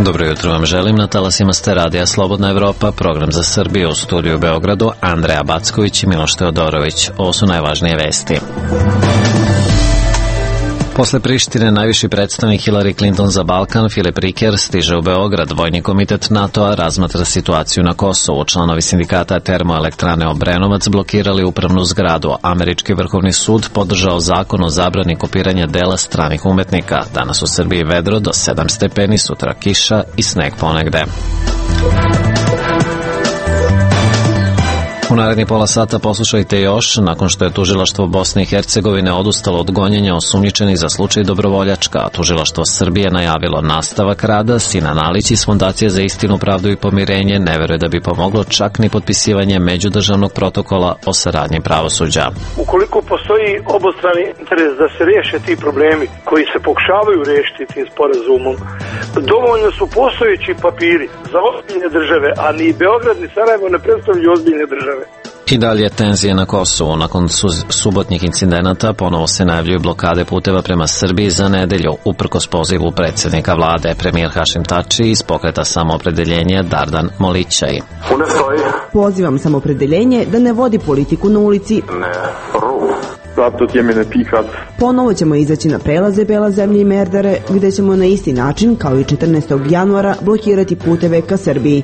Dobro jutro vam želim, na talasima ste Radija Slobodna Evropa, program za Srbiju, u studiju u Beogradu, Andreja Backović i Miloš Teodorović. Ovo su najvažnije vesti. Posle Prištine, najviši predstavnik Hillary Clinton za Balkan, Filip Riker, stiže u Beograd. Vojni komitet NATO-a razmatra situaciju na Kosovu. Članovi sindikata Termoelektrane Obrenovac blokirali upravnu zgradu. Američki vrhovni sud podržao zakon o zabrani kopiranja dela stranih umetnika. Danas u Srbiji vedro do 7 stepeni, sutra kiša i sneg ponegde. U naredni pola sata poslušajte još, nakon što je tužilaštvo Bosne i Hercegovine odustalo od gonjenja osumnjičenih za slučaj Dobrovoljačka, a tužilaštvo Srbije najavilo nastavak rada, Sinan Alić iz Fondacije za istinu, pravdu i pomirenje ne veruje da bi pomoglo čak ni potpisivanje međudržavnog protokola o saradnji pravosuđa. Ukoliko postoji obostrani interes da se riješe ti problemi koji se pokušavaju riješiti tim sporazumom, dovoljno su postojeći papiri za ozbiljne države, a ni Beograd ni Sarajevo ne predstavljaju ozbiljne države. I dalje tenzije na Kosovu. Nakon subotnjih incidenata ponovo se najavljuju blokade puteva prema Srbiji za nedelju, uprkos pozivu predsjednika vlade. Premijer Hašim Tači iz pokreta Samoopredeljenja Dardan Molićaj. Pozivam Samoopredeljenje da ne vodi politiku na ulici. Ponovo ćemo izaći na prelaze Bela zemlje i Merdare, gde ćemo na isti način, kao i 14. januara, blokirati puteve ka Srbiji.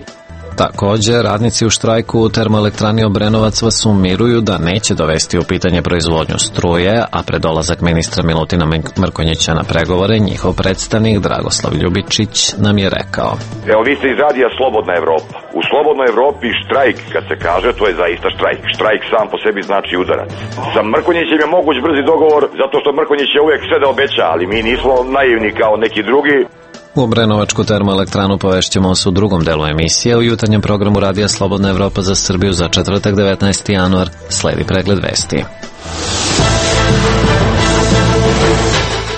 Također, radnici u štrajku u Termoelektrani Obrenovac vas umiruju da neće dovesti u pitanje proizvodnju struje, a pred dolazak ministra Milutina Mrkonjića na pregovore, njihov predstavnik Dragoslav Ljubičić nam je rekao: Evo, vi ste iz Radija Slobodna Evropa. U Slobodnoj Evropi štrajk, kad se kaže, to je zaista štrajk. Štrajk sam po sebi znači udarac. Sa Mrkonjićem je moguć brzi dogovor, zato što Mrkonjić je uvijek sve da obeća, ali mi nismo naivni kao neki drugi. U Obrenovačku termoelektranu povešćemo vas u drugom delu emisije. U jutarnjem programu Radija Slobodna Evropa za Srbiju za četvrtak 19. januar sledi pregled vesti.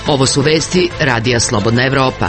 Ovo su vesti Radija Slobodna Evropa.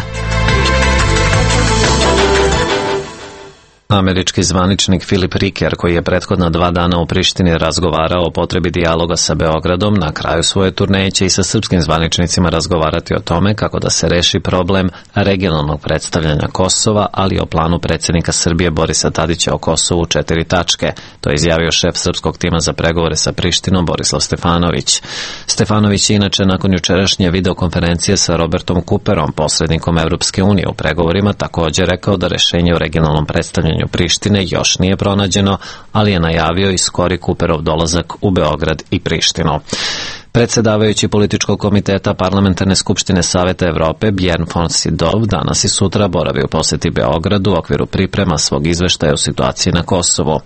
Američki zvaničnik Filip Riker, koji je prethodna 2 dana u Prištini razgovarao o potrebi dijaloga sa Beogradom, na kraju svoje turneje će i sa srpskim zvaničnicima razgovarati o tome kako da se reši problem regionalnog predstavljanja Kosova, ali i o planu predsjednika Srbije Borisa Tadića o Kosovu u 4 tačke. To je izjavio šef srpskog tima za pregovore sa Prištinom Borislav Stefanović. Stefanović je inače nakon jučerašnje videokonferencije sa Robertom Cooperom, posrednikom Evropske unije u pregovorima, također rekao da rešenje o regionalnom predstavljanju Prištine još nije pronađeno, ali je najavio i skori Cooperov dolazak u Beograd i Prištinu. Predsjedavajući političkog komiteta Parlamentarne skupštine Saveta Evrope Bjorn von Sydow danas i sutra boravi u posjeti Beogradu u okviru priprema svog izveštaja o situaciji na Kosovu.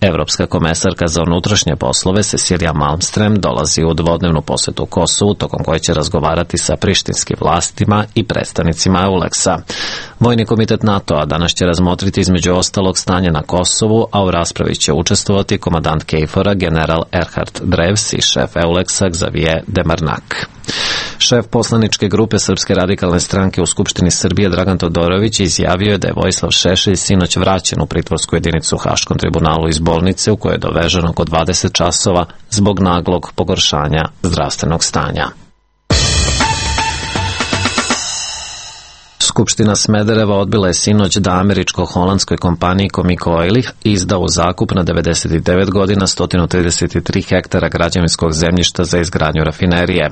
Evropska komesarka za unutrašnje poslove Cecilia Malmström dolazi u dvodnevnu posjetu Kosovu, tokom koje će razgovarati sa prištinskim vlastima i predstavnicima EULEX-a. Vojni komitet NATO-a danas će razmotriti između ostalog stanje na Kosovu, a u raspravi će učestvovati komandant KFOR-a general Erhard Drevs i šef EULEX-a Xavier Demarnak. Šef poslaničke grupe Srpske radikalne stranke u Skupštini Srbije Dragan Todorović izjavio je da je Vojislav Šešelj sinoć vraćen u pritvorsku jedinicu u Haškom tribunalu iz bolnice u kojoj je dovežen oko 20 časova zbog naglog pogoršanja zdravstvenog stanja. Skupština Smedereva odbila je sinoć da američko-holandskoj kompaniji Comico Oil izda u zakup na 99 godina 133 hektara građevinskog zemljišta za izgradnju rafinerije.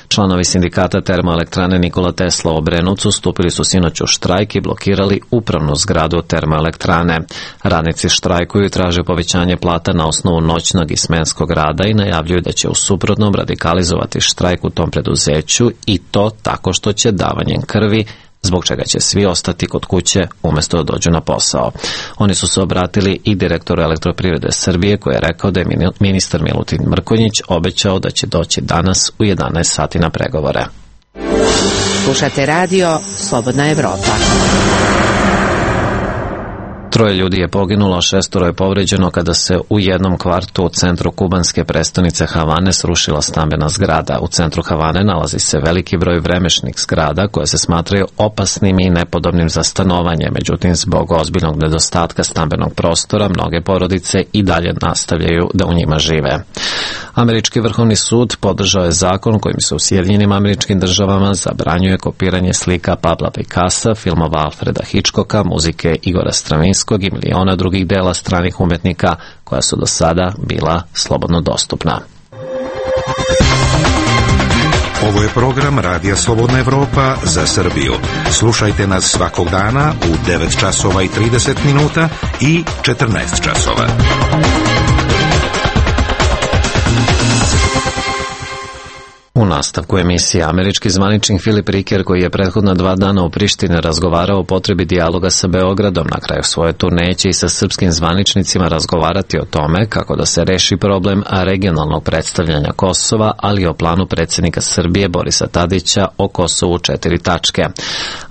Članovi sindikata Termoelektrane Nikola Tesla u Obrenovcu stupili su sinoć u štrajk i blokirali upravnu zgradu termoelektrane. Radnici štrajkuju i traže povećanje plata na osnovu noćnog i smenskog rada i najavljuju da će u suprotnom radikalizovati štrajk u tom preduzeću, i to tako što će davanjem krvi, zbog čega će svi ostati kod kuće umjesto da dođu na posao. Oni su se obratili i direktoru Elektroprivrede Srbije, koji je rekao da je ministar Milutin Mrkonjić obećao da će doći danas u 11 sati na pregovore. Slušate radio Slobodna Evropa. 3 ljudi je poginulo, 6 je povređeno kada se u jednom kvartu u centru kubanske prestonice Havane srušila stambena zgrada. U centru Havane nalazi se veliki broj vremešnih zgrada koje se smatraju opasnim i nepodobnim za stanovanje. Međutim, zbog ozbiljnog nedostatka stambenog prostora, mnoge porodice i dalje nastavljaju da u njima žive. Američki vrhovni sud podržao je zakon kojim se u Sjedinjenim Američkim Državama zabranjuje kopiranje slika Pabla Picassa, filmova Alfreda Hitchcocka, muzike Igora Stravinskog i miliona drugih dela stranih umetnika koja su do sada bila slobodno dostupna. Ovo je program Radija Slobodna Evropa za Srbiju. Slušajte nas svakog dana u 9 časova i 30 minuta i 14 časova. U nastavku emisije američki zvaničnik Filip Riker, koji je prethodna 2 dana u Prištini razgovarao o potrebi dijaloga sa Beogradom, na kraju svoje turneje će i sa srpskim zvaničnicima razgovarati o tome kako da se reši problem regionalnog predstavljanja Kosova, ali i o planu predsjednika Srbije Borisa Tadića o Kosovu 4 tačke.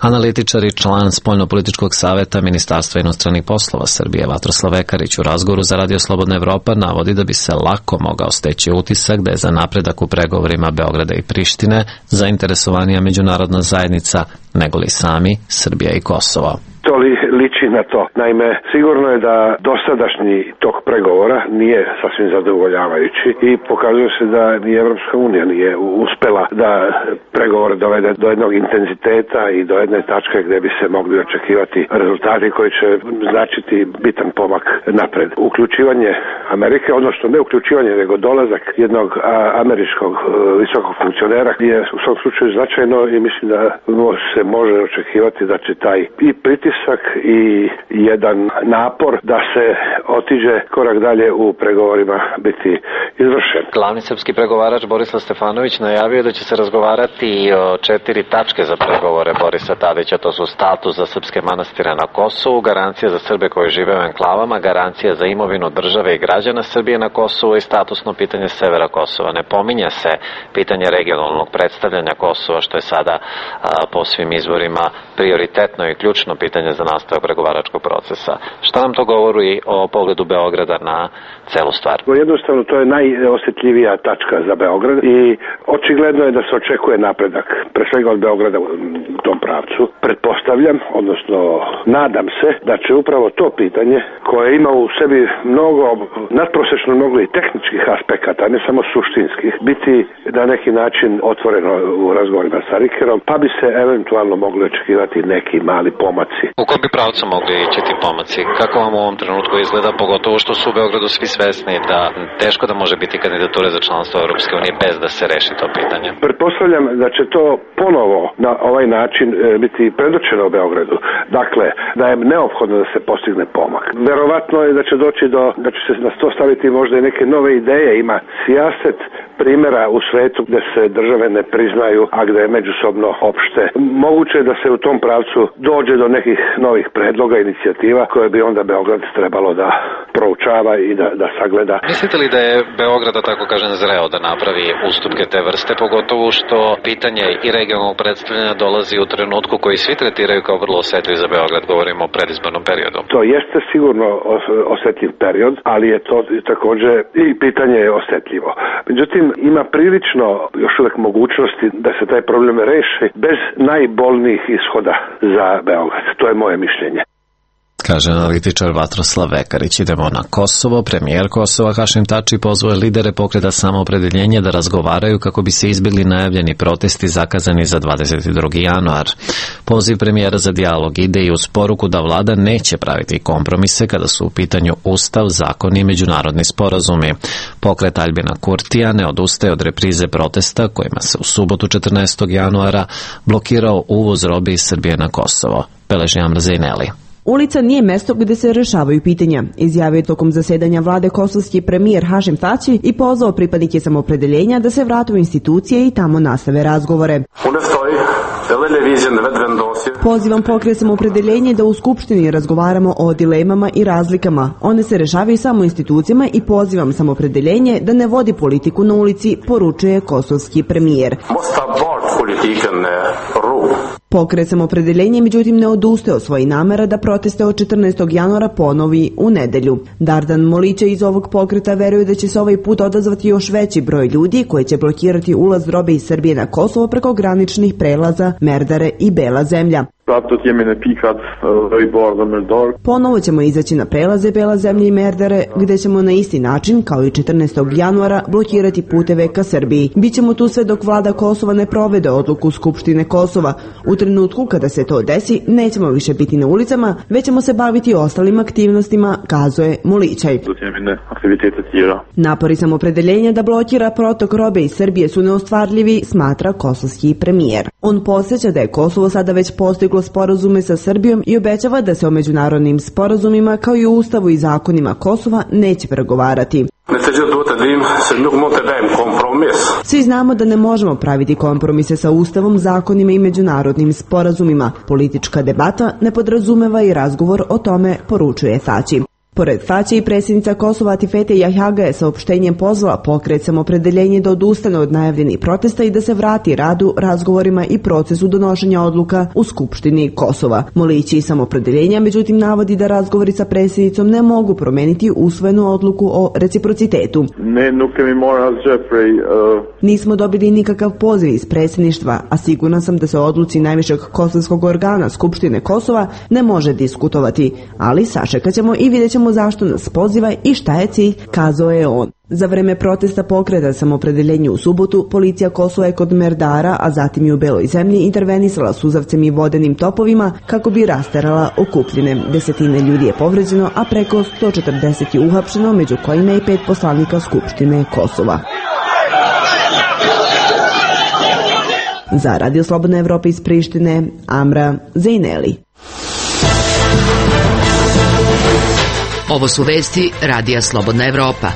Analitičar i član Spoljnopolitičkog saveta Ministarstva inostranih poslova Srbije Vatroslav Ekarić u razgovoru za Radio Slobodna Evropa navodi da bi se lako mogao steći utisak da je za napredak u pregovorima Beograda i Prištine zainteresovanija međunarodna zajednica nego li sami Srbija i Kosovo. To liči na to. Naime, sigurno je da dosadašnji tok pregovora nije sasvim zadovoljavajući i pokazuje se da ni Evropska unija nije uspela da pregovore dovede do jednog intenziteta i do jedne tačke gdje bi se mogli očekivati rezultati koji će značiti bitan pomak napred. Uključivanje Amerike, odnosno ne uključivanje, nego dolazak jednog američkog visokog funkcionera je u svom slučaju značajno i mislim da se može očekivati da će taj i pritisak i jedan napor da se otiđe korak dalje u pregovorima biti izvršen. Glavni srpski pregovarač Borislav Stefanović najavio da će se razgovarati i o 4 tačke za pregovore Borisa Tadića. To su status za srpske manastire na Kosovu, garancija za Srbe koji žive u enklavama, garancija za imovinu države i građana Srbije na Kosovu i statusno pitanje severa Kosova. Ne pominje se pitanje regionalnog predstavljanja Kosova, što je sada po svim izborima prioritetno i ključno pitanje za nastavak pregovaračkog procesa. Šta nam to govori o pogledu Beograda na celu stvar? Jednostavno, to je najosjetljivija tačka za Beograd i očigledno je da se očekuje napredak, pre svega od Beograda u tom pravcu. Pretpostavljam, odnosno nadam se da će upravo to pitanje, koje ima u sebi mnogo, nadprosečno mnogo i tehničkih aspekata, ne samo suštinskih, biti na neki način otvoreno u razgovorima sa Rikerom, pa bi se eventualno mogli očekivati neki mali pomaci. U kom bi pravcu mogli ići ti pomaci? Kako vam u ovom trenutku izgleda, pogotovo što su u Beogradu svi svesni da teško da može biti kandidature za članstvo Europske unije bez da se reši to pitanje? Pretpostavljam da će to ponovo na ovaj način biti predočeno u Beogradu. Dakle, da je neophodno da se postigne pomak. Verovatno je da će doći da će se na sto staviti možda i neke nove ideje. Ima sijaset primjera u svetu gdje se države ne priznaju, a gdje je međusobno opšte. Moguće je da se u tom pravcu dođe do nekih novih predloga, inicijativa koje bi onda Beograd trebalo da proučava i da sagleda. Mislite li da je Beograd, da tako kažem, zreo da napravi ustupke te vrste, pogotovo što pitanje i regionalnog predstavljanja dolazi u trenutku koji svi tretiraju kao vrlo osjetljiv za Beograd, govorimo o predizbornom periodu? To jeste sigurno osjetljiv period, ali je to također i pitanje je osjetljivo. Međutim, ima prilično još uvijek mogućnosti da se taj problem reši bez najbolnijih ishoda za Beograd. To je moje mišljenje. Kaže analitičar Vatroslav Ekarić. Idemo na Kosovo. Premijer Kosova Hašim Tači pozvao lidere pokreta Samoopredeljenje da razgovaraju kako bi se izbjegli najavljeni protesti zakazani za 22. januar. Poziv premijera za dijalog ide i uz poruku da vlada neće praviti kompromise kada su u pitanju ustav, zakoni i međunarodni sporazumi. Pokret Aljbina Kurtija ne odustaje od reprize protesta kojima se u subotu 14. januara blokirao uvoz robe iz Srbije na Kosovo. Beleži Amr Zejneli. Ulica nije mesto gdje se rešavaju pitanja, izjavio je tokom zasedanja vlade kosovski premijer Hašim Tači i pozvao pripadnike Samoopredeljenja da se vrate u institucije i tamo nastave razgovore. Pozivam pokret Samoopredeljenje da u Skupštini razgovaramo o dilemama i razlikama. One se rešavaju samo institucijama i pozivam Samoopredeljenje da ne vodi politiku na ulici, poručuje kosovski premijer. Pokret Samoopredeljenje međutim ne odustaje od svojih namera da proteste od 14. januara ponovi u nedelju. Dardan Molića iz ovog pokreta veruje da će se ovaj put odazvati još veći broj ljudi koji će blokirati ulaz robe iz Srbije na Kosovo preko graničnih prelaza Merdare i Bela zemlja. Ponovo ćemo izaći na prelaze Bela zemlja i Merdare, gde ćemo na isti način, kao i 14. januara, blokirati puteve ka Srbiji. Bićemo tu sve dok vlada Kosova ne provede odluku Skupštine Kosova. U trenutku kada se to desi, nećemo više biti na ulicama, već ćemo se baviti ostalim aktivnostima, kazuje Mulićaj. Napori samopredeljenja da blokira protok robe iz Srbije su neostvarljivi, smatra kosovski premijer. On podsjeća da je Kosovo sada već postiglo sporazume sa Srbijom i obećava da se o međunarodnim sporazumima kao i ustavu i zakonima Kosova neće pregovarati. Svi znamo da ne možemo praviti kompromise sa ustavom, zakonima i međunarodnim sporazumima. Politička debata ne podrazumeva i razgovor o tome, poručuje Thaci. Pored Thaci i predsjednica Kosova Atifete Jahjaga je saopštenjem pozvala pokret samopredeljenje da odustane od najavljenih protesta i da se vrati radu, razgovorima i procesu donošenja odluka u Skupštini Kosova. Mulić i samopredeljenja međutim navodi da razgovori sa predsjednicom ne mogu promeniti usvojenu odluku o reciprocitetu. Nismo dobili nikakav poziv iz predsjedništva, a sigurna sam da se o odluci najvišeg kosovskog organa Skupštine Kosova ne može diskutovati, ali sačekat ćemo i vidjet ćemo zašto nas poziva i šta je cilj, kazao je on. Za vreme protesta pokreta samopredeljenju u subotu, policija Kosova je kod Merdara, a zatim i u Beloj zemlji intervenisala suzavcem i vodenim topovima kako bi rasterala okupljene. Desetine ljudi je povređeno, a preko 140 je uhapšeno, među kojima i 5 poslanika Skupštine Kosova. Za Radio Slobodna Evropa iz Prištine, Amra Zejneli. Ovo su vesti Radija Slobodna Evropa.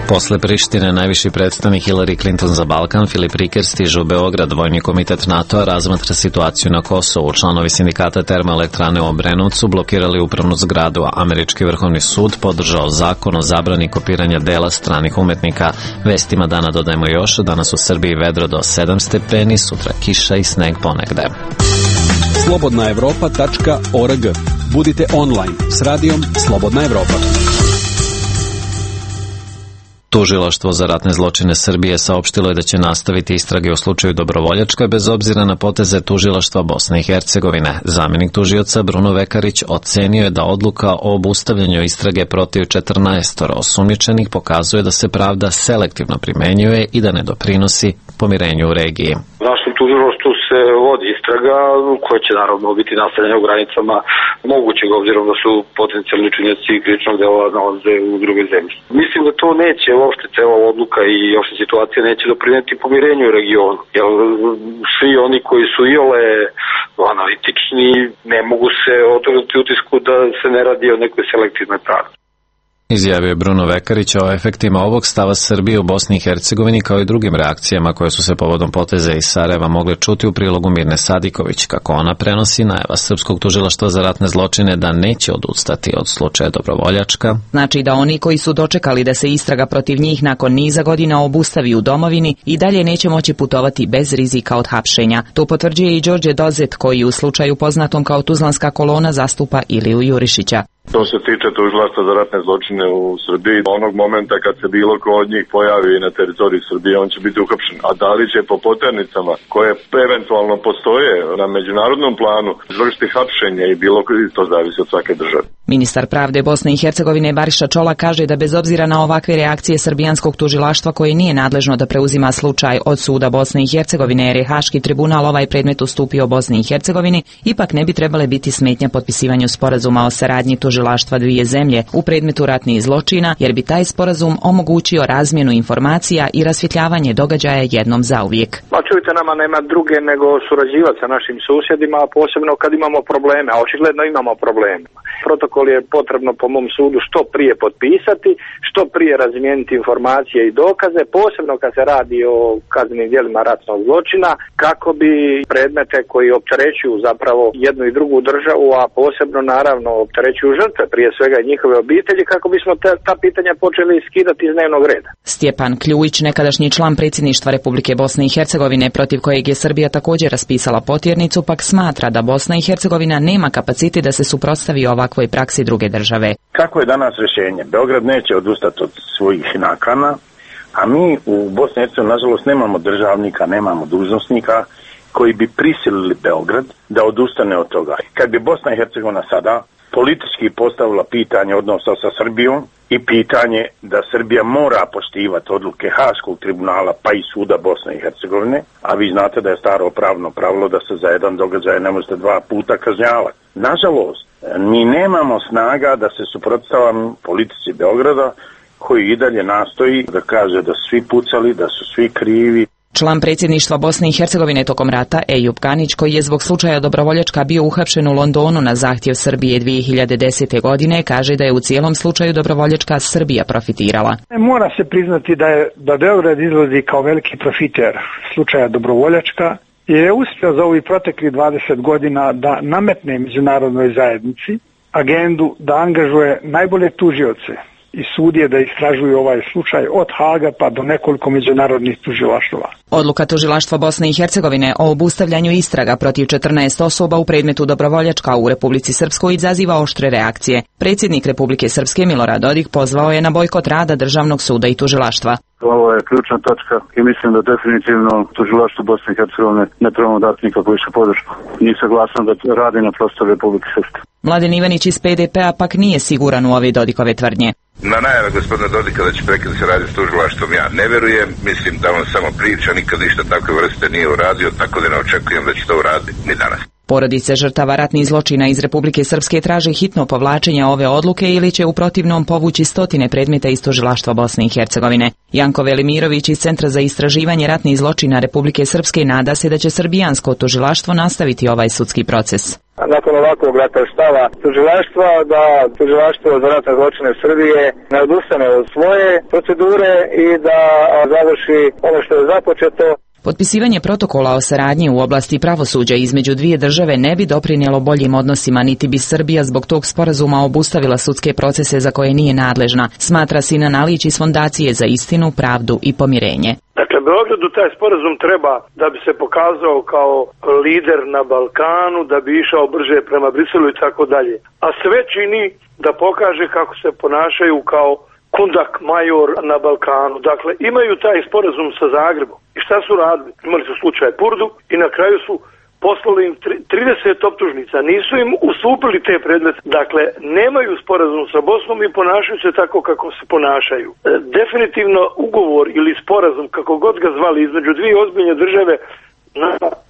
Posle Prištine, najviši predstavnik Hillary Clinton za Balkan, Filip Riker, stiže u Beograd. Vojni komitet NATO-a razmatra situaciju na Kosovu. Članovi sindikata termoelektrane u Obrenovcu blokirali upravnu zgradu, a Američki vrhovni sud podržao zakon o zabrani kopiranja dela stranih umetnika. Vestima dana dodajemo još, danas u Srbiji vedro do 7 stepeni, sutra kiša i sneg ponegde. slobodnaevropa.org. Budite online s radijom Slobodna Evropa. Tužilaštvo za ratne zločine Srbije saopštilo je da će nastaviti istrage u slučaju Dobrovoljačka bez obzira na poteze tužilaštva Bosne i Hercegovine. Zamjenik tužioca Bruno Vekarić ocenio je da odluka o obustavljanju istrage protiv 14 osumnjičenih pokazuje da se pravda selektivno primenjuje i da ne doprinosi pomirenju u regiji. Našem tužilaštvu se vodi istraga koja će naravno biti nastavljena u granicama mogućeg, obzirom da su potencijalni činioci krivičnog dela nalaze u drugoj zemlji. Mislim da to neće uopšte cela odluka i uopšte situacija neće doprineti pomirenju u regionu. Jer svi oni koji su iole analitični ne mogu se otrgnuti utisku da se ne radi o nekoj selektivnoj pravdi. Izjavio je Bruno Vekarić o efektima ovog stava Srbije u Bosni i Hercegovini kao i drugim reakcijama koje su se povodom poteza iz Sarajeva mogle čuti u prilogu Mirne Sadiković. Kako ona prenosi, najava Srpskog tužilaštva za ratne zločine da neće odustati od slučaja Dobrovoljačka. Znači da oni koji su dočekali da se istraga protiv njih nakon niza godina obustavi u domovini i dalje neće moći putovati bez rizika od hapšenja. To potvrđuje i Đorđe Dozet koji u slučaju poznatom kao Tuzlanska kolona zastupa Iliju Jurišića. To se tiče tužilaštva za ratne zločine u Srbiji. Onog momenta kad se bilo ko od njih pojavi na teritoriji Srbije, on će biti uhapšen. A da li će po poternicama koje eventualno postoje na međunarodnom planu izvršiti hapšenje i bilo to zavisi od svake države. Ministar pravde Bosne i Hercegovine Bariša Čola kaže da bez obzira na ovakve reakcije srbijanskog tužilaštva koje nije nadležno da preuzima slučaj od suda Bosne i Hercegovine jer je Haški tribunal ovaj predmet ustupio Bosni i Hercegovini, ipak ne bi trebale biti smetnja potpisivanju sporazuma o saradnji tužilaštva dvije zemlje u predmetu ratnih zločina, jer bi taj sporazum omogućio razmjenu informacija i rasvjetljavanje događaja jednom zauvijek. Pa čujte, nama nema druge nego surađivati sa našim susjedima, a posebno kad imamo probleme, a očigledno imamo probleme. Protokol je potrebno po mom sudu što prije potpisati, što prije razmijeniti informacije i dokaze, posebno kad se radi o kaznenim djelima ratnog zločina, kako bi predmete koji opterećuju zapravo jednu i drugu državu, a posebno naravno opterećuju žrtve, prije svega i njihove obitelji, kako bismo ta pitanja počeli skidati iz dnevnog reda. Stjepan Kljujić, nekadašnji član predsjedništva Republike Bosne i Hercegovine, protiv kojeg je Srbija također raspisala potjernicu, pak smatra da Bosna i Hercegovina nema kapacitet da se suprotstavi ovakvoj praksi druge države. Kako je danas rješenje? Beograd neće odustati od svojih nakana, A mi u Bosni i Hercegovini, nažalost, nemamo državnika, nemamo dužnosnika koji bi prisilili Beograd da odustane od toga. Kad bi Bosna i Hercegovina sada politički postavila pitanje odnosa sa Srbijom i pitanje da Srbija mora poštivati odluke Haškog tribunala pa i suda Bosne i Hercegovine, a vi znate da je staro pravno pravilo da se za jedan događaj ne možete 2 puta kažnjavati. Nažalost, mi nemamo snaga da se suprotstavimo politici Beograda koji i dalje nastoji da kaže da su svi pucali, da su svi krivi. Član predsjedništva Bosne i Hercegovine tokom rata, Ejub Ganić, koji je zbog slučaja Dobrovoljačka bio uhapšen u Londonu na zahtjev Srbije 2010. godine, kaže da je u cijelom slučaju Dobrovoljačka Srbija profitirala. Mora se priznati da Beograd izlazi kao veliki profiter slučaja Dobrovoljačka, jer je uspio za ovih proteklih 20 godina da nametne međunarodnoj zajednici agendu da angažuje najbolje tužioce i sudije da istražuju ovaj slučaj od Haga pa do nekoliko međunarodnih tužilaštva. Odluka tužilaštva Bosne i Hercegovine o obustavljanju istraga protiv 14 osoba u predmetu Dobrovoljačka u Republici Srpskoj izaziva oštre reakcije. Predsjednik Republike Srpske Milorad Dodik pozvao je na bojkot rada Državnog suda i tužilaštva. Ovo je ključna točka i mislim da definitivno tužilaštvo Bosne i Hercegovine ne trebamo dati nikakvu više podršku. Nije saglasan da radi na prostoru Republike Srpske. Mladen Ivanić iz PDP-a pak nije siguran u ove Dodikove tvrdnje. Na najave gospodina Dodika da će prekinuti se radi s tužilaštvom ja ne verujem, mislim da on samo priča, nikad ništa takve vrste nije uradio, tako da ne očekujem da će to uraditi ni danas. Porodice žrtava ratnih zločina iz Republike Srpske traže hitno povlačenje ove odluke ili će u protivnom povući stotine predmeta iz tužilaštva Bosne i Hercegovine. Janko Velimirović iz Centra za istraživanje ratnih zločina Republike Srpske nada se da će srbijansko tužilaštvo nastaviti ovaj sudski proces. Nakon ovakvog rata stava tužilaštva, da tužilaštvo za ratne zločine Srbije ne odustane od svoje procedure i da završi ono što je započeto. Potpisivanje protokola o saradnji u oblasti pravosuđa između dvije države ne bi doprinijelo boljim odnosima, niti bi Srbija zbog tog sporazuma obustavila sudske procese za koje nije nadležna, smatra Sinan Alić iz Fondacije za istinu, pravdu i pomirenje. Dakle, Beogradu taj sporazum treba da bi se pokazao kao lider na Balkanu, da bi išao brže prema Briselu i tako dalje. A sve čini da pokaže kako se ponašaju kao kundak major na Balkanu. Dakle, imaju taj sporazum sa Zagrebom. I šta su radili? Imali su slučaj Purdu i na kraju su poslali im 30 optužnica. Nisu im ustupili te predmete. Dakle, nemaju sporazum sa Bosnom i ponašaju se tako kako se ponašaju. Definitivno ugovor ili sporazum, kako god ga zvali, između dvije ozbiljne države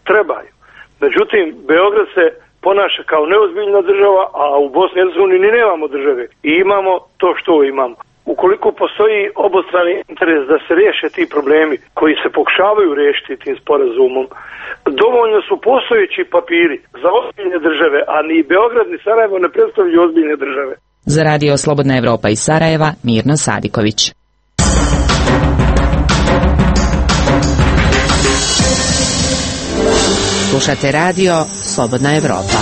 trebaju. Međutim, Beograd se ponaša kao neozbiljna država, a u Bosni i Hercegovini ni nemamo države. I imamo to što imamo. Ukoliko postoji obostrani interes da se riješe ti problemi koji se pokušavaju riješiti tim sporazumom, dovoljno su postojeći papiri za ozbiljne države, a ni Beograd ni Sarajevo ne predstavljaju ozbiljne države. Za Radio Slobodna Evropa iz Sarajeva, Mirna Sadiković. Slušate radio Slobodna Evropa.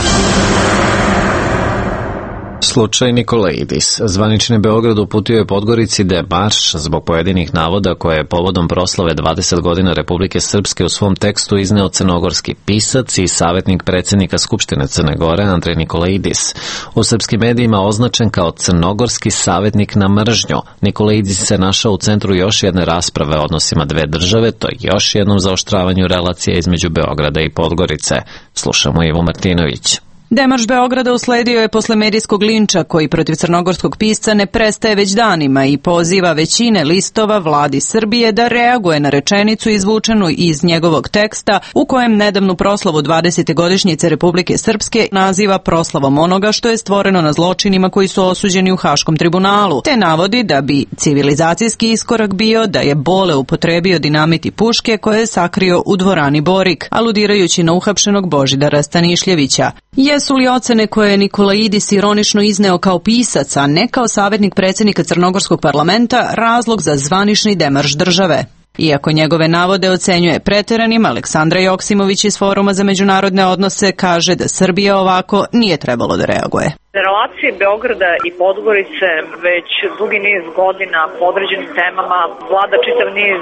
Slučaj Nikolaidis. Zvanični Beograd uputio je Podgorici da je marš zbog pojedinih navoda koje je povodom proslave 20 godina Republike Srpske u svom tekstu izneo crnogorski pisac i savjetnik predsjednika Skupštine Crne Gore Andrej Nikolaidis. U srpskim medijima označen kao crnogorski savjetnik na mržnju, Nikolaidis se našao u centru još jedne rasprave o odnosima dve države, to je još jednom zaoštravanju relacija između Beograda i Podgorice. Slušamo Ivo Martinović. Demarš Beograda usledio je posle medijskog linča koji protiv crnogorskog pisca ne prestaje već danima i poziva većine listova vladi Srbije da reaguje na rečenicu izvučenu iz njegovog teksta u kojem nedavnu proslavu 20. godišnjice Republike Srpske naziva proslavom onoga što je stvoreno na zločinima koji su osuđeni u Haškom tribunalu, te navodi da bi civilizacijski iskorak bio da je Bole upotrebio dinamit i puške koje je sakrio u dvorani Borik, aludirajući na uhapšenog Božidara Stanišljevića. Jesu li ocene koje je Nikolaidis ironično izneo kao pisac, a ne kao savjetnik predsjednika Crnogorskog parlamenta, razlog za zvanični demarš države? Iako njegove navode ocenjuje pretjeranim, Aleksandra Joksimović iz Foruma za međunarodne odnose kaže da Srbija ovako nije trebalo da reaguje. Na relaciji Beograda i Podgorice već dugi niz godina po određenim temama vlada čitav niz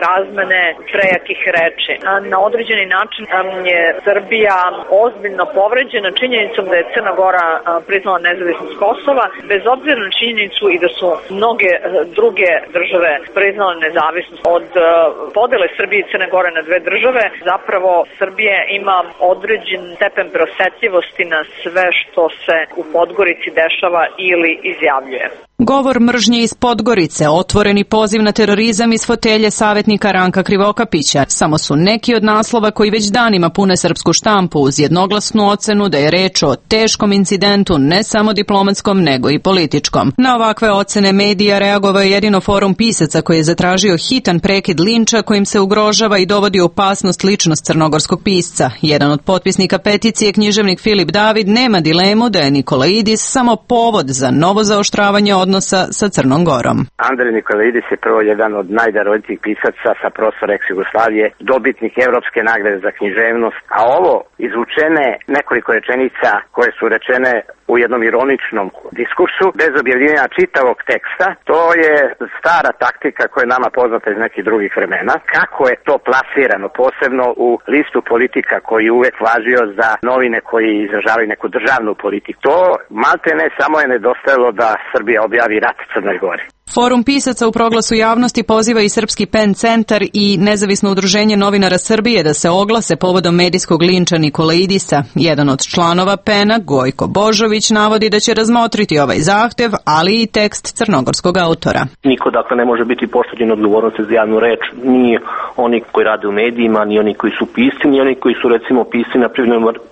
razmene prejakih reči. Na određeni način je Srbija ozbiljno povređena činjenicom da je Crna Gora priznala nezavisnost Kosova, bez obzira na činjenicu i da su mnoge druge države priznale nezavisnost. Od podele Srbije i Crne Gore na dve države, zapravo Srbija ima određen stepen preosetljivosti na sve što se u Podgorici dešava ili izjavljuje. Govor mržnje iz Podgorice, otvoreni poziv na terorizam iz fotelje savjetnika Ranka Krivokapića, samo su neki od naslova koji već danima pune srpsku štampu uz jednoglasnu ocenu da je reč o teškom incidentu ne samo diplomatskom nego i političkom. Na ovakve ocene medija reagovao je jedino Forum pisaca koji je zatražio hitan prekid linča kojim se ugrožava i dovodi u opasnost ličnost crnogorskog pisca. Jedan od potpisnika peticije, književnik Filip David, nema dilemu da je Nikolaidis samo povod za novo zaoštravanje odnosa sa Crnom Gorom. Andrej Nikolaidis je prvo jedan od najdarovitijih pisaca sa prostora ex-Jugoslavije, dobitnik Evropske nagrade za književnost, a ovo izvučene nekoliko rečenica koje su rečene u jednom ironičnom diskursu, bez objavljivanja čitavog teksta, to je stara taktika koja je nama poznata iz nekih drugih vremena. Kako je to plasirano, posebno u listu politika koji je uvek važio za novine koji izražavaju neku državnu politiku. To malte ne samo je nedostajalo da Srbija objavi rat Crnoj Gori. Forum pisaca u proglasu javnosti poziva i Srpski PEN centar i Nezavisno udruženje novinara Srbije da se oglase povodom medijskog linča Nikolaidisa. Jedan od članova PEN-a, Gojko Božović, navodi da će razmotriti ovaj zahtev, ali i tekst crnogorskog autora. Niko dakle ne može biti pošteđen odgovornosti za javnu reč, ni oni koji rade u medijima, ni oni koji su pisci, ni oni koji su recimo pisci na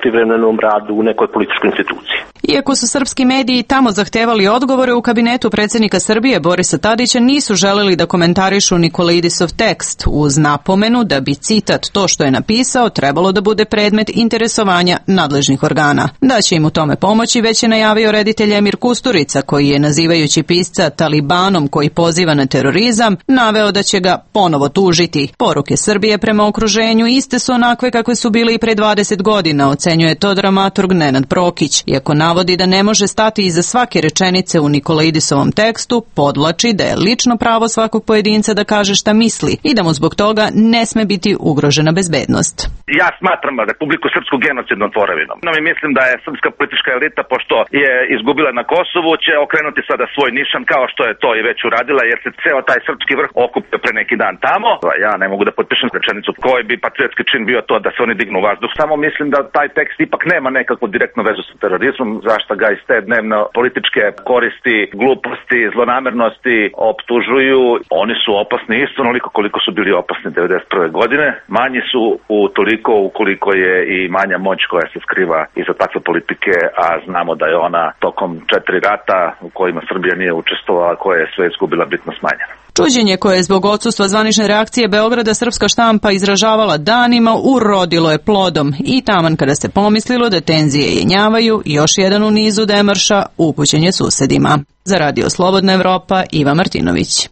privremenom radu u nekoj političkoj instituciji. Iako su srpski mediji tamo zahtevali odgovore, u kabinetu predsjednika Srbije Borisa Tadića nisu želeli da komentarišu Nikolaidisov tekst, uz napomenu da bi citat to što je napisao trebalo da bude predmet interesovanja nadležnih organa. Da će im u tome pomoći već je najavio reditelj Emir Kusturica, koji je nazivajući pisca talibanom koji poziva na terorizam, naveo da će ga ponovo tužiti. Poruke Srbije prema okruženju iste su onakve kakve su bile i pre 20 godina, ocenjuje to dramaturg Nenad Prokić. Iako navodi da ne može stati iza svake rečenice u Nikolaidisovom tekstu, podvlači da je lično pravo svakog pojedinca da kaže šta misli i da mu zbog toga ne sme biti ugrožena bezbednost. Ja smatram Republiku Srpsku genocidnom tvorevinom. I mislim da je srpska politička elita, pošto je izgubila na Kosovu, će okrenuti sada svoj nišan kao što je to i već uradila, jer se ceo taj srpski vrh okupio pre neki dan tamo. Ja ne mogu da potpišem rečenicu koji bi patriotski čin bio to da se oni dignu u vazduh. Samo mislim da taj tekst ipak nema nekakvu direktnu vezu sa terorizmom, zašto ga iz te dnevno političke koristi, gluposti, zlonamernosti optužuju. Oni su opasni isto onoliko koliko su bili opasni 1991. godine. Manji su u toliko ukoliko je i manja moć koja se skriva iza takve politike, a znamo da je ona tokom 4 rata u kojima Srbija nije učestvovala, koja je sve izgubila, bitno smanjena. Čuđenje koje je zbog odsustva zvanične reakcije Beograda srpska štampa izražavala danima urodilo je plodom i taman kada se pomislilo da tenzije jenjavaju, još jedan u nizu demarša upućen je susedima. Za Radio Slobodna Evropa, Iva Martinović.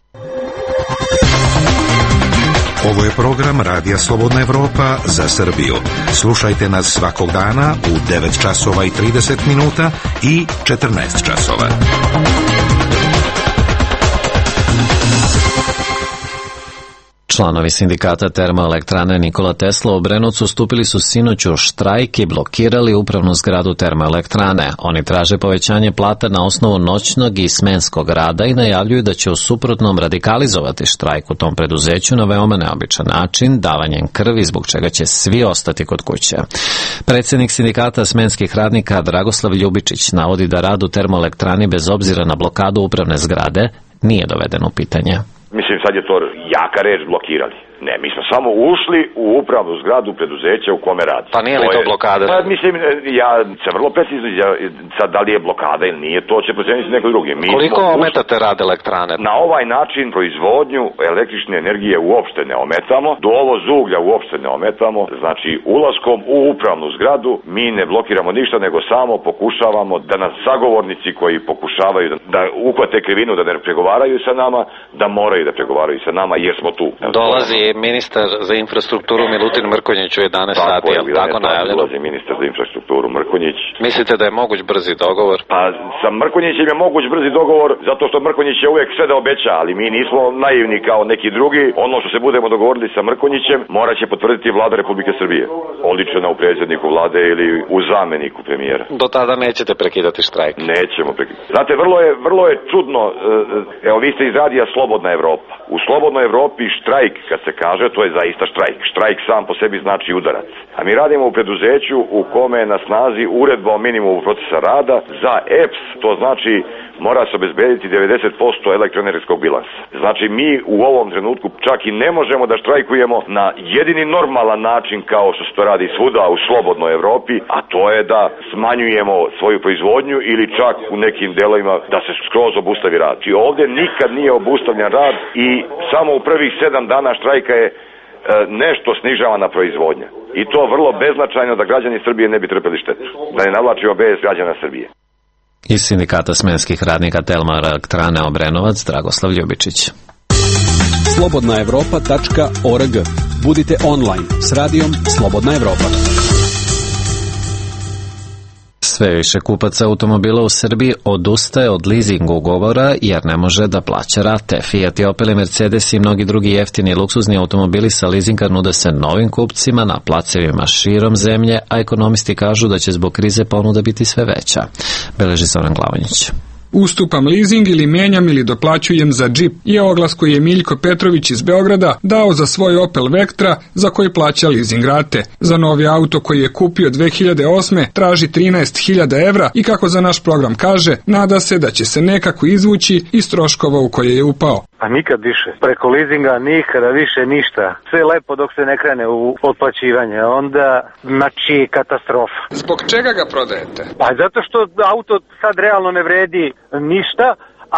Ovo je program Radija Slobodna Evropa za Srbiju. Slušajte nas svakog dana u 9 časova i 30 minuta i 14 časova. Članovi sindikata termoelektrane Nikola Tesla u Brenovcu stupili su sinoć u štrajk i blokirali upravnu zgradu termoelektrane. Oni traže povećanje plata na osnovu noćnog i smenskog rada i najavljuju da će u suprotnom radikalizovati štrajk u tom preduzeću na veoma neobičan način, davanjem krvi, zbog čega će svi ostati kod kuće. Predsjednik sindikata smenskih radnika Dragoslav Ljubičić navodi da rad u termoelektrani bez obzira na blokadu upravne zgrade nije doveden u pitanje. Mislim, sad je to jaka reč blokirali. Ne, mi smo samo ušli u upravnu zgradu preduzeća u kome radi. Pa nije li to blokada? Pa, mislim, ja se vrlo precizno, sad da li je blokada ili nije, to će proceniti neko drugi. Koliko ometate rad elektrane? Na ovaj način proizvodnju električne energije uopšte ne ometamo, do ovo uglja uopšte ne ometamo, znači ulaskom u upravnu zgradu mi ne blokiramo ništa, nego samo pokušavamo da nas sagovornici koji pokušavaju da uhvate krivinu, da ne pregovaraju sa nama, da moraju da pregovaraju sa nama jer smo tu. Dolazi ministar za infrastrukturu Milutin Mrkonjić u 11 sati, je li tako najavljeno? Dolazi ministar za infrastrukturu Mrkonjić. Mislite da je moguć brzi dogovor? Pa sa Mrkonjićem je moguć brzi dogovor, zato što Mrkonjić je uvek sve da obeća, ali mi nismo naivni kao neki drugi. Ono što se budemo dogovorili sa Mrkonjićem morat će potvrditi vlada Republike Srbije. Oličena u predsjedniku vlade ili u zameniku premijera. Do tada nećete prekidati štrajk? Nećemo prekidati. Znate, vrlo je čudno, evo vi ste iz radija Slobodna Evropa. U Slobodnoj Evropi štrajk, kad se kaže, to je zaista štrajk. Štrajk sam po sebi znači udarac. A mi radimo u preduzeću u kome je na snazi uredba o minimumu procesa rada. Za EPS to znači mora se obezbediti 90% elektroenergetskog bilansa. Znači mi u ovom trenutku čak i ne možemo da štrajkujemo na jedini normalan način kao što se to radi svuda u slobodnoj Evropi, a to je da smanjujemo svoju proizvodnju ili čak u nekim delovima da se skroz obustavi rad. Znači ovdje nikad nije obustavljen rad i samo u prvih 7 dana štrajka je nešto snižavana proizvodnja. I to vrlo beznačajno da građani Srbije ne bi trpeli štetu. Da ne navlačimo bez građana Srbije. Iz sindikata smenskih radnika Termoelektrane Obrenovac, Dragoslav Ljubičić. Slobodnaevropa.org. Budite online s radijom Slobodna Evropa. Sve više kupaca automobila u Srbiji odustaje od leasing ugovora jer ne može da plaća rate. Fiat i Opel i Mercedes i mnogi drugi jeftini luksuzni automobili sa leasinga nude se novim kupcima na placevima širom zemlje, a ekonomisti kažu da će zbog krize ponuda biti sve veća. Beleži Zoran Glavonjić. Ustupam leasing ili menjam ili doplaćujem za džip je oglas koji je Miljko Petrović iz Beograda dao za svoj Opel Vectra za koji plaća leasing rate. Za novi auto koji je kupio 2008. traži 13.000 evra i kako za naš program kaže, nada se da će se nekako izvući iz troškova u koje je upao. A nikad više. Preko leasinga nikada više ništa. Sve lepo dok se ne krene u otplaćivanje. Onda, znači, katastrofa. Zbog čega ga prodajete? Pa zato što auto sad realno ne vredi ništa,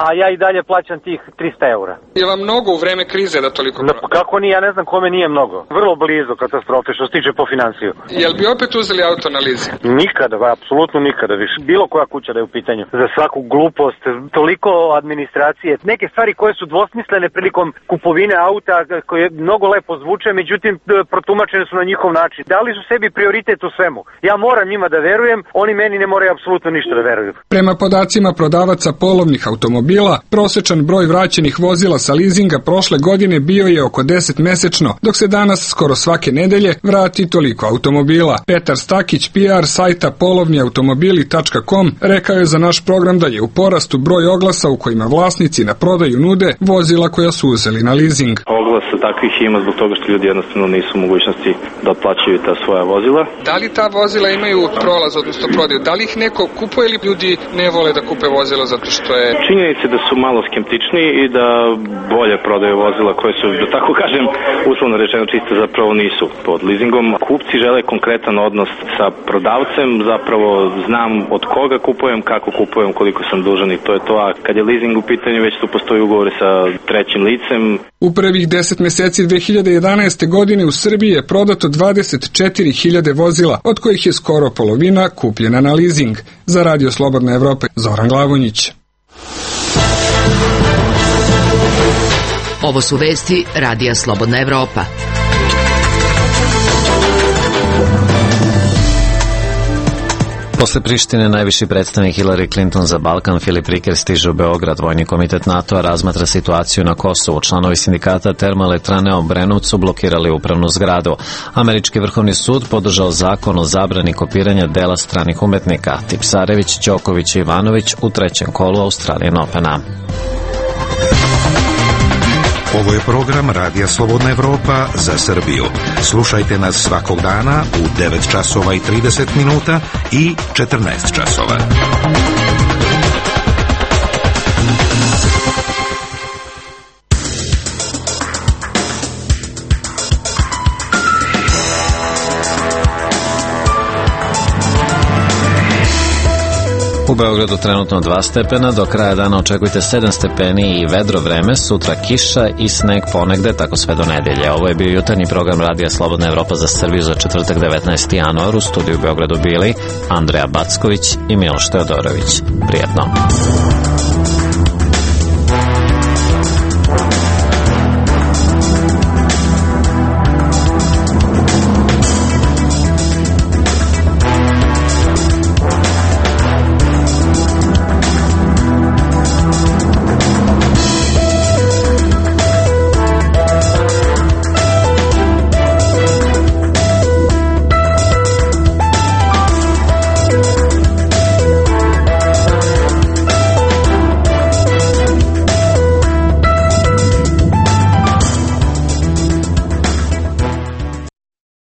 a ja i dalje plaćam tih 300 eura. Je vam mnogo u vreme krize da toliko prodajete? Kako nije, ja ne znam kome nije mnogo. Vrlo blizu katastrofe što se tiče po financiju. Jel bi opet uzeli auto na leasing? Nikada, apsolutno nikada više. Bilo koja kuća da je u pitanju. Za svaku glupost, toliko administracije, neke stvari koje su dvosmislene prilikom kupovine auta, koje mnogo lepo zvuče, međutim protumačene su na njihov način. Dali su sebi prioritet u svemu. Ja moram njima da verujem, oni meni ne moraju apsolutno ništa da veruju. Prema podacima prodavaca polovnih automobila, prosečan broj vraćenih vozila sa leasinga prošle godine bio je oko 10 mesečno, dok se danas skoro svake nedelje vrati toliko automobila. Petar Stakić, PR sajta polovniautomobili.com, rekao je za naš program da je u porastu broj oglasa u kojima vlasnici na prodaju nude vozila koja su uzeli na leasing. Oglasa takvih ima zbog toga što ljudi jednostavno nisu u mogućnosti da otplaćaju ta svoja vozila. Da li ta vozila imaju prolaz, odnosno prodaju? Da li ih neko kupuje ili ljudi ne vole da kupe vozila zato što je... Činjenica da su malo skeptični i da bolje prodaju vozila koje su, da tako kažem, uslovno rečeno čiste, zapravo nisu pod leasingom. Kupci žele konkretan odnos sa prodavcem, zapravo znam od koga kupujem, kako kupujem, koliko sam dužan i to je to. A kad je leasing u pitanju, već tu postoji ugovori sa trećim licem. U prvih 10 meseci 2011. godine u Srbiji je prodato 24.000 vozila, od kojih je skoro polovina kupljena na leasing. Za Radio Slobodna Evropa, Zoran Glavonjić. Ovo su vesti Radija Slobodna Evropa. Posle Prištine najviši predstavnik Hillary Clinton za Balkan Filip Riker stiže u Beograd. Vojni komitet NATO-a razmatra situaciju na Kosovu. Članovi sindikata Termoelektrane Obrenovcu blokirali upravnu zgradu. Američki vrhovni sud podržao zakon o zabrani kopiranja dela stranih umetnika. Tipsarević, Đoković i Ivanović u trećem kolu Australian Opena. Ovo je program Radija Slobodna Evropa za Srbiju. Slušajte nas svakog dana u 9 časova i 30 minuta i 14 časova. U Beogradu trenutno 2 stepena, do kraja dana očekujte 7 stepeni i vedro vreme, sutra kiša i sneg ponegde, tako sve do nedelje. Ovo je bio jutarnji program Radija Slobodna Evropa za Srbiju za četvrtak 19. januar. U studiju u Beogradu bili Andreja Backović i Miloš Teodorović. Prijetno.